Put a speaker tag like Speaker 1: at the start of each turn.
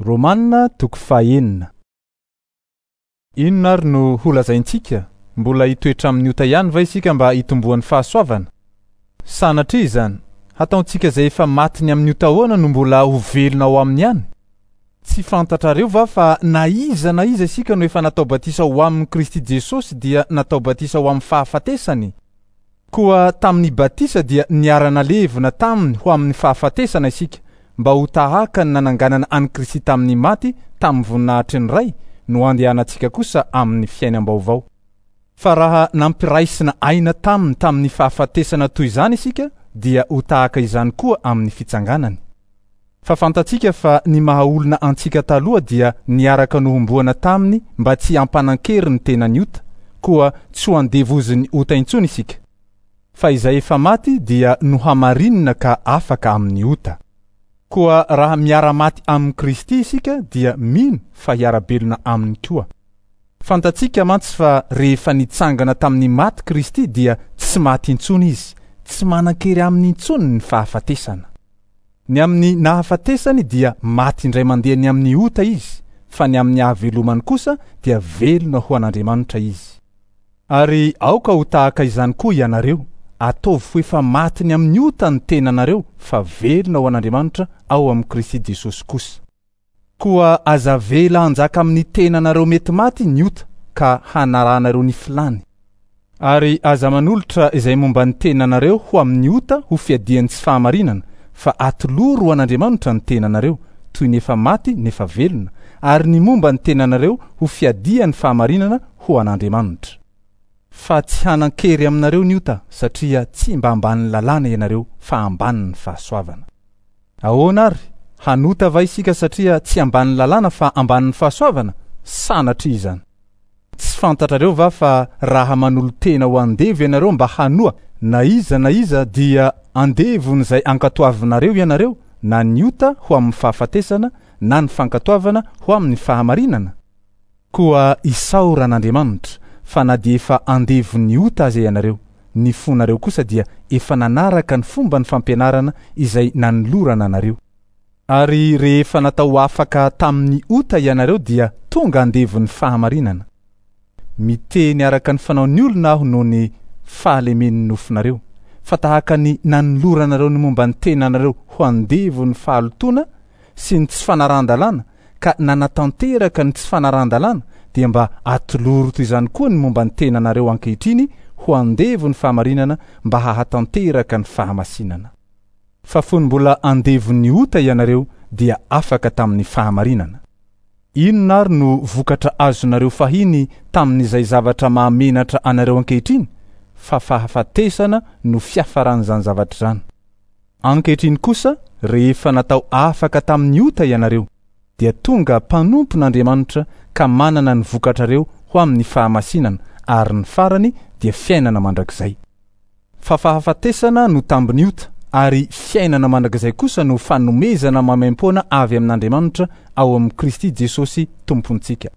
Speaker 1: Romana toko fahenina. Inona ary no holazaintsika? Mbola hitoetra amin'ny ota ihany va isika mba hitomboan'ny fahasoavana? Sanatria izany! Hataontsika izay efa maty ny amin'ny ota ahoana no mbola ho velona ao aminy ihany? Tsy fantatrareo va fa na iza na iza isika no efa natao batisa ho amin'i Kristy Jesosy dia natao batisa ho amin'ny fahafatesany? Koa tamin'ny batisa dia niara-nalevina taminy ho amin'ny fahafatesana isika, mba ho tahaka ny nananganana an'i Kristy tamin'ny maty tamin'ny voninahitry ny Ray no andehanantsika kosa amin'ny fiainam-baovao. Fa raha nampiraisina aina taminy tamin'ny fahafatesana toy izany isika, dia ho tahaka izany koa amin'ny fitsanganany. Fa fantatsika fa ny maha-olona antsika taloha dia niaraka nohomboana taminy mba tsy hampanan-kery ny tenany ota, koa tsy ho andevozin'ny ota intsony isika. Fa izay efa maty dia nohamarinina ka afaka amin'ny ota. Koa raha miara-maty amin'i Kristy isika dia mino fa hiara-belona aminy koa. Fantatsika mantsy fa rehefa nitsangana tamin'ny maty Kristy dia tsy maty intsony izy, tsy manan-kery aminy intsony ny fahafatesana. Ny amin'ny nahafatesany dia maty indray mandeha ny amin'ny ota izy, fa ny amin'ny hahavelomany kosa dia velona ho an'Andriamanitra izy. Ary aoka ho tahaka izany koa ianareo, ataovy ho efa maty ny amin'ny ota ny tenanareo fa velona ho an'Andriamanitra ao amin'i Kristy Jesosy kosa. Koa aza avela hanjaka amin'ny tenanareo mety maty ny ota ka hanarahanareo ny filàny. Ary aza manolotra izay momba ny tenanareo ho amin'ny ota ho fiadian'ny tsy fahamarinana, fa atolory ho an'Andriamanitra ny tenanareo, toy ny efa maty nefa velona, ary ny momba ny tenanareo ho fiadian'ny fahamarinana ho an'Andriamanitra. Fa tsy hanan-kery aminareo ny ota, satria tsy mba ambanin'ny lalàna ianareo fa ambanin'ny fahasoavana. Ahoana àry? Hanota va isika satria tsy ambanin'ny lalàna fa ambanin'ny fahasoavana? Sanatria izany! Tsy fantatrareo va fa raha manolo-tena ho andevo ianareo mba hanoa na iza na iza dia andevon'izay ankatoavinareo ianareo, na ny ota ho amin'ny fahafatesana na ny fankatoavana ho amin'ny fahamarinana? Koa isaorana Andriamanitra fa na dia efa andevon'ny ota aza ianareo, ny fonareo kosa dia efa nanaraka ny fomban'ny fampianarana izay nanolorana anareo. Ary rehefa natao afaka tamin'ny ota ianareo dia tonga andevon'ny fahamarinana. Miteny araka ny fanaon'ny olona aho noho ny fahalemen'ny nofonareo, fa tahaka ny nanoloranareo ny momba ny tenanareo ho andevon'ny fahalotoana sy ny tsy fanarahan-dalàna ka nanatanteraka ny tsy fanarahan-dalàna dia mba atoloro toy izany koa ny momba ny tenanareo ankehitriny ho andevon'ny fahamarinana mba hahatanteraka ny fahamasinana. Fa fony mbola andevon'ny ota ianareo dia afaka tamin'ny fahamarinana. Inona ary no vokatra azonareo fahiny tamin'izay zavatra mahamenatra anareo ankehitriny? Fa fahafatesana no fiafaran'izany zavatra izany. Ankehitriny kosa, rehefa natao afaka tamin'ny ota ianareo, dia tonga mpanompon'Andriamanitra ka manana ny vokatrareo ho amin'ny fahamasinana, ary ny farany dia fiainana mandrakizay. Fa fahafatesana no tambin'ny ota, ary fiainana mandrakizay kosa no fanomezana maimaimpoana avy amin'Andriamanitra ao amin'i Kristy Jesosy Tompontsika.